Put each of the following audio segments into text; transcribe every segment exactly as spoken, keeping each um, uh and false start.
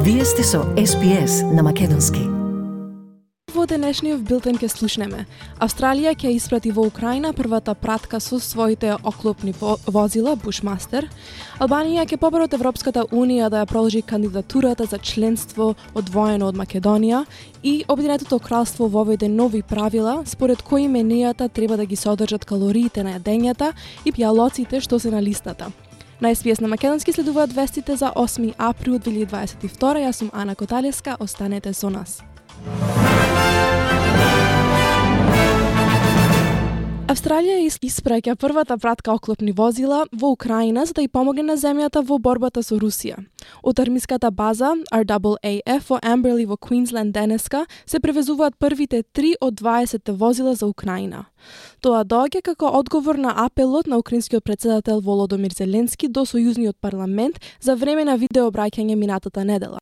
Вие сте со Ес Би Ес на македонски. Во денешниот билтен ќе слушнеме. Австралија ќе испрати во Украина првата пратка со своите оклопни возила Bushmaster. Албанија ќе побара од Европската унија да ја продолжи кандидатурата за членство одвоено од Македонија и Обединетото кралство воведе нови правила според кои менијата треба да ги содржат калориите на јадењата и пијалоците што се на листата. На Ес Би Ес на македонски следуваат вестите за осми април две илјади дваесет и втора. Јас сум Ана Коталеска, останете со нас. Австралија испраќа првата пратка оклопни возила во Украина за да ја помогне на земјата во борбата со Русија. Од армиската база Ар Дабл Ей Еф во Амберли во Квинсленд денеска се превезуваат првите три од дваесет возила за Украина. Тоа доаѓа како одговор на апелот на украинскиот претседател Володомир Зеленски до сојузниот парламент за време на видеообраќање минатата недела.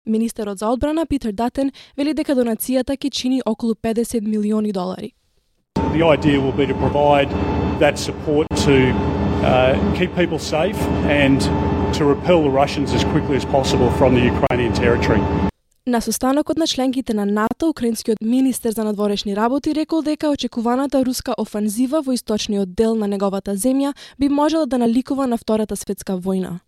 Министерот за одбрана Питер Датен вели дека донацијата ќе чини околу педесет милиони долари. The idea will be to provide that support to uh, keep people safe and to repel the Russians as quickly as possible from the Ukrainian territory. На состанокот на членките на НАТО, украинскиот министер за надворешни работи рекол дека очекуваната руска офанзива во источниот дел на неговата земја би можела да наликува на Втората светска војна.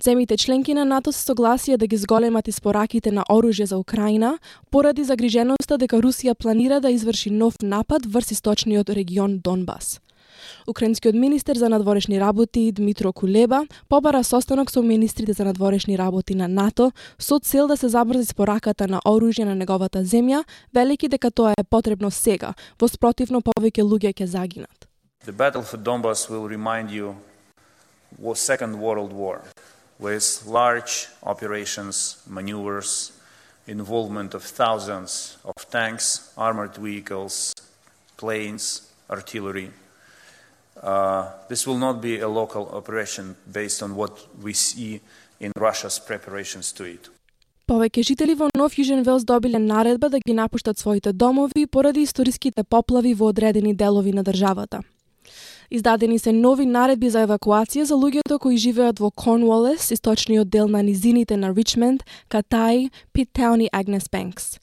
Земјите членки на НАТО се согласија да ги зголемат испораките на оружје за Украина поради загриженоста дека Русија планира да изврши нов напад врз источниот регион Донбас. Украинскиот министер за надворешни работи Дмитро Кулеба побара состанок со министрите за надворешни работи на НАТО со цел да се забрзи спораката на оружје на неговата земја, велики дека тоа е потребно сега, во спротивно повеќе луѓе ќе загинат. The battle for Donbas will remind you was Second World War, with large operations, maneuvers, involvement of thousands of tanks, armored vehicles, planes, artillery. Uh, this will not be a local operation based on what we see in Russia's preparations to it. Повеќе жители во Нов Јужен Велс добиле наредба да ги напуштат своите домови поради историските поплави во одредени делови на државата. Издадени се нови наредби за евакуација за луѓето кои живеат во Корнуолес, источниот дел на низините на Ричмонд, Катај, Питтаун и Агнес Бенкс.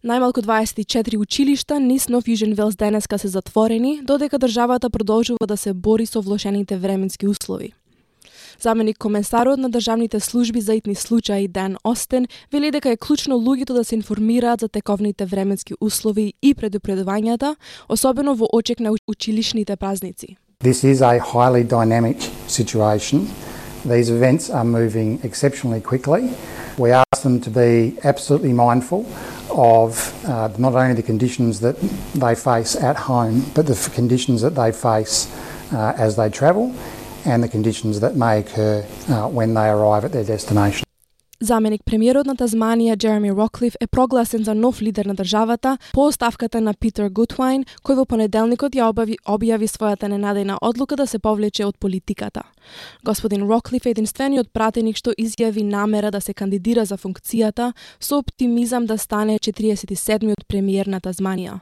Најмалку дваесет и четири училишта низ Нов Јужен Велс денеска се затворени, додека државата продолжува да се бори со влошените временски услови. Заменик комесарот на државните служби за итни случаи Дан Остен вели дека е клучно луѓето да се информираат за тековните временски услови и предупредувањата, особено во очек на училишните празници. This is a highly dynamic situation. These events are moving exceptionally quickly. We ask them to be absolutely mindful of uh, not only the conditions that they face at home, but the conditions that they face uh, as they travel and the conditions that may occur uh, when they arrive at their destination. Заменик премиерот на Тазманија Джереми Роклиф е прогласен за нов лидер на државата по оставката на Питер Гутвајн, кој во понеделникот ја објави, објави својата ненадејна одлука да се повлече од политиката. Господин Роклиф е единствениот пратеник што изјави намера да се кандидира за функцијата со оптимизам да стане четириесет и седмиот премиер на Тазманија.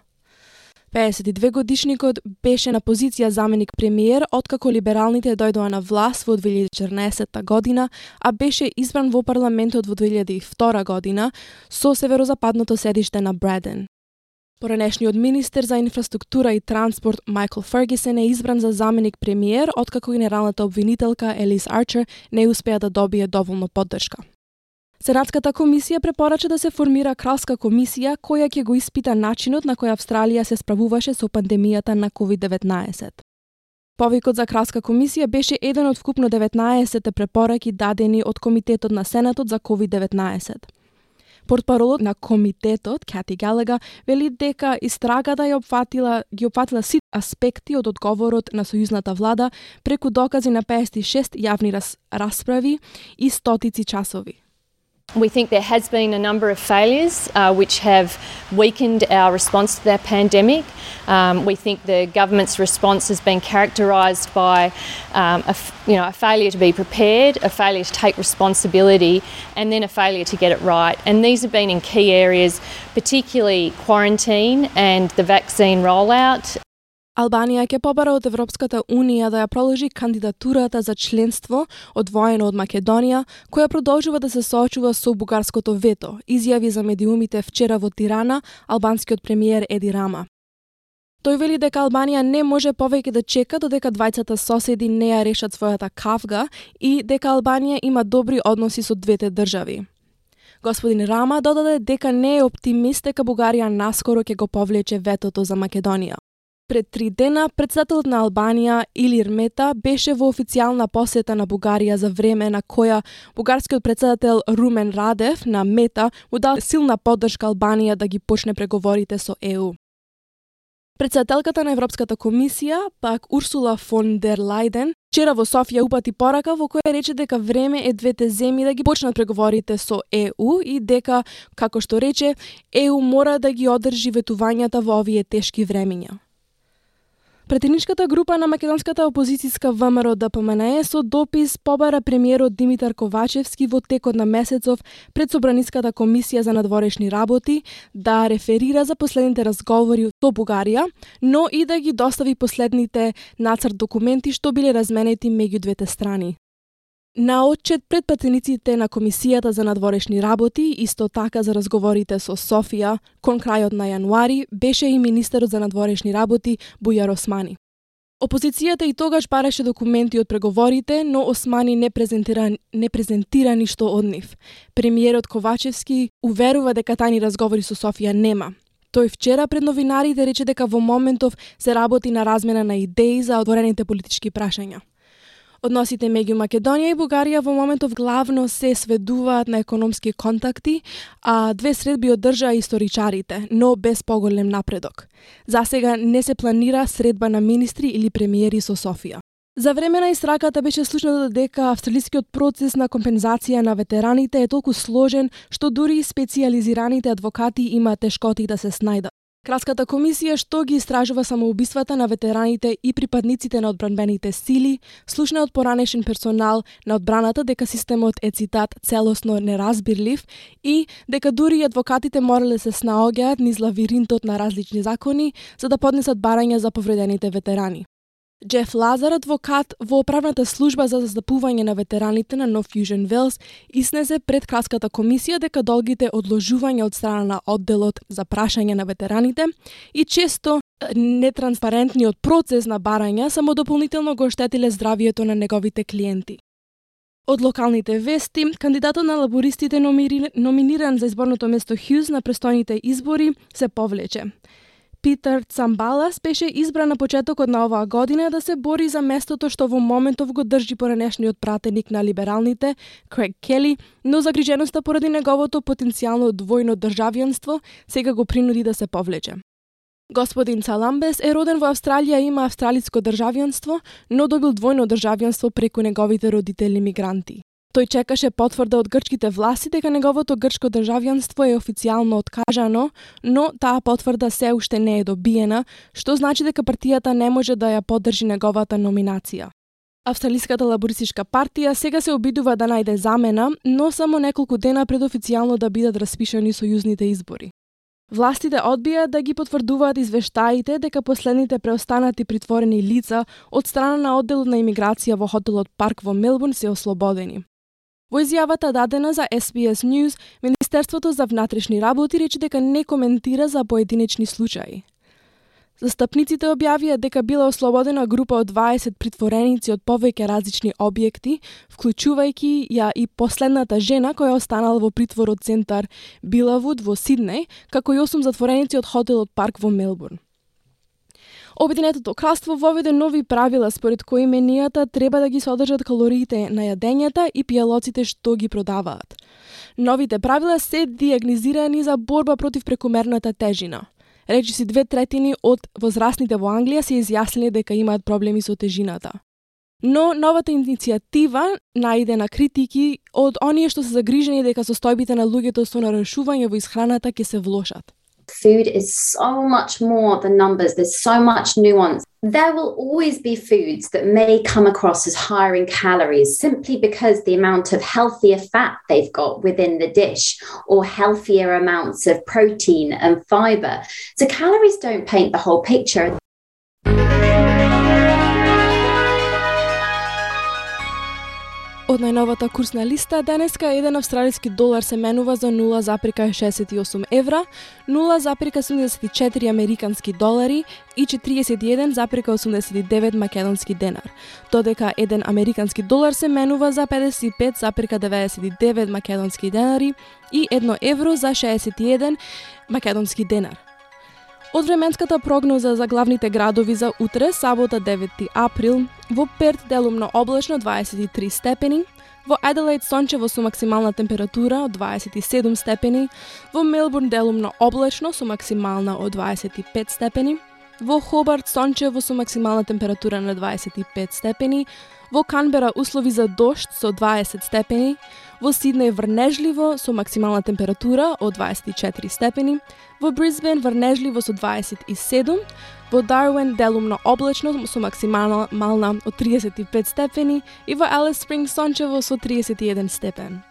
пеесет и две годишникот беше на позиција заменик премиер откако либералните дојдоа на власт во две илјади и четрнаесетта година, а беше избран во парламентот во две илјади и втора година со северозападното седиште на Бреден. Поранешниот министер за инфраструктура и транспорт Майкл Фергюсон е избран за заменик премиер откако генералната обвинителка Елис Арчер не успеа да добие доволно поддршка. Сенатската комисија препорача да се формира кралска комисија која ќе го испита начинот на кој Австралија се справуваше со пандемијата на ковид деветнаесет. Повикот за кралска комисија беше еден од вкупно деветнаесет препораки дадени од Комитетот на Сенатот за ковид деветнаесет. Портпаролот на комитетот, Кати Галега, вели дека истрагата ја опфатила, ги опфатила сите аспекти од одговорот на сојузната влада преку докази на пеесет и шест јавни рас, расправи и стотици часови. We think there has been a number of failures uh, which have weakened our response to the pandemic. Um, we think the government's response has been characterised by um, a, you know, a failure to be prepared, a failure to take responsibility, and then a failure to get it right. And these have been in key areas, particularly quarantine and the vaccine rollout. Албанија ќе побара од Европската Унија да ја проложи кандидатурата за членство одвоено од Македонија, која продолжува да се соочува со бугарското вето, изјави за медиумите вчера во Тирана албанскиот премиер Еди Рама. Тој вели дека Албанија не може повеќе да чека додека двајцата соседи не ја решат својата кавга и дека Албанија има добри односи со двете држави. Господин Рама додаде дека не е оптимист дека Бугарија наскоро ќе го повлече ветото за Македонија. Пред три дена, председателот на Албанија, Илир Мета, беше во официјална посета на Бугарија за време на која бугарскиот председател Румен Радев на Мета му дал силна поддршка Албанија да ги почне преговорите со Е У. Председателката на Европската комисија, пак Урсула фон дер Лајден, вчера во Софија упати порака во која рече дека време е двете земји да ги почнат преговорите со Е У и дека, како што рече, Е У мора да ги одржи ветувањата во овие тешки времиња. Претедничката група на македонската опозицијска Вэ Ем Р Д П М Н Е со допис побара премиерот Димитар Ковачевски во текот на месецов пред Собраниската комисија за надворешни работи да реферира за последните разговори со Бугарија, но и да ги достави последните нацрт документи што биле разменети меѓу двете страни. На отчет пред пратениците на Комисијата за надворешни работи, исто така за разговорите со Софија, кон крајот на јануари, беше и министерот за надворешни работи Бујар Османи. Опозицијата и тогаш бараше документи од преговорите, но Османи не презентира, не презентира ништо од нив. Премиерот Ковачевски уверува дека тајни разговори со Софија нема. Тој вчера пред новинарите рече дека во моментов се работи на размена на идеи за отворените политички прашања. Односите меѓу Македонија и Бугарија во моментов главно се сведуваат на економски контакти, а две средби одржаа историчарите, но без поголем напредок. Засега не се планира средба на министри или премиери со Софија. За време на истраката беше слушнато дека австралискиот процес на компензација на ветераните е толку сложен што дури и специјализираните адвокати имаат тешкоти да се снајдат. Кралската комисија што ги истражува самоубиствата на ветераните и припадниците на одбранбените сили, слушна од поранешен персонал на одбраната дека системот е, цитат, целосно неразбирлив и дека дури и адвокатите морале се снаоѓаат низ лавиринтот на различни закони за да поднесат барања за повредените ветерани. Джеф Лазар, адвокат во правната служба за застапување на ветераните на North Fusion Wales, изнесе пред Кралската комисија дека долгите одложувања од страна на одделот за прашање на ветераните и често нетранспарентниот процес на барања само дополнително го оштетиле здравието на неговите клиенти. Од локалните вести, кандидатот на лабористите номиниран за изборното место Хјуз на престојните избори се повлече. Питер Цамбалас беше избран на почетокот на оваа година да се бори за местото што во моментов го држи поранешниот пратеник на либералните, Крейг Кели, но загриженоста поради неговото потенцијално двојно државјанство сега го принуди да се повлече. Господин Цаламбес е роден во Австралија и има австралиско државјанство, но добил двојно државјанство преку неговите родители мигранти. Тој чекаше потврда од грчките власти дека неговото грчко државјанство е официјално откажано, но таа потврда се уште не е добиена, што значи дека партијата не може да ја поддржи неговата номинација. Австралиската лабористичка партија сега се обидува да најде замена, но само неколку дена пред официјално да бидат распишани сојузните избори. Властите одбија да ги потврдуваат извештаите дека последните преостанати притворени лица од страна на одделот на имиграција во хотелот Парк во Мелбурн се ослободени. Во изјавата дадена за Ес Би Ес News, Министерството за внатрешни работи рече дека не коментира за поединечни случаи. Застапниците објавија дека била ослободена група од дваесет притвореници од повеќе различни објекти, вклучувајќи ја и последната жена која останала во притвор од центар Билавуд во Сиднеј, како и осум затвореници од хотелот Парк во Мелбурн. Обединетото кралство воведе нови правила според кои менијата треба да ги содржат калориите на јадењата и пијалоците што ги продаваат. Новите правила се диагнозирани за борба против прекомерната тежина. Речиси две третини од возрастните во Англија се изјасниле дека имаат проблеми со тежината. Но новата иницијатива најде на критики од оние што се загрижени дека состојбите на луѓето со нарушување во исхраната ќе се влошат. Food is so much more than numbers. There's so much nuance. There will always be foods that may come across as higher in calories simply because the amount of healthier fat they've got within the dish or healthier amounts of protein and fiber. So calories don't paint the whole picture. Од најновата курсна листа, денеска еден австралиски долар се менува за нула запирка шесет и осум евра, нула запирка седумдесет и четири американски долари и четириесет и еден запирка осумдесет и девет македонски денар, додека еден американски долар се менува за педесет и пет запирка деветдесет и девет македонски денари и едно евро за шеесет и еден македонски денар. Од временската прогноза за главните градови за утре, сабота девети април, во Перт делумно облачно дваесет и три степени, во Аделаид сончево со максимална температура од дваесет и седум степени, во Мелбурн делумно облачно со максимална од дваесет и пет степени, во Хобарт сончево со максимална температура на дваесет и пет степени, во Канбера услови за дожд со дваесет степени, во Сиднеј врнежливо со максимална температура од дваесет и четири степени, во Брисбен врнежливо со дваесет и седум, во Дарвин делумно облачно со максимална мална од триесет и пет степени и во Алис Спрингс сончево со триесет и еден степен.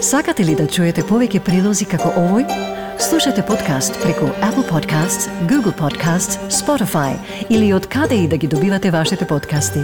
Сакате ли да чуете повеќе прилози како овој? Слушате подкаст преку Apple Podcasts, Google Podcasts, Spotify или од каде и да ги добивате вашите подкасти.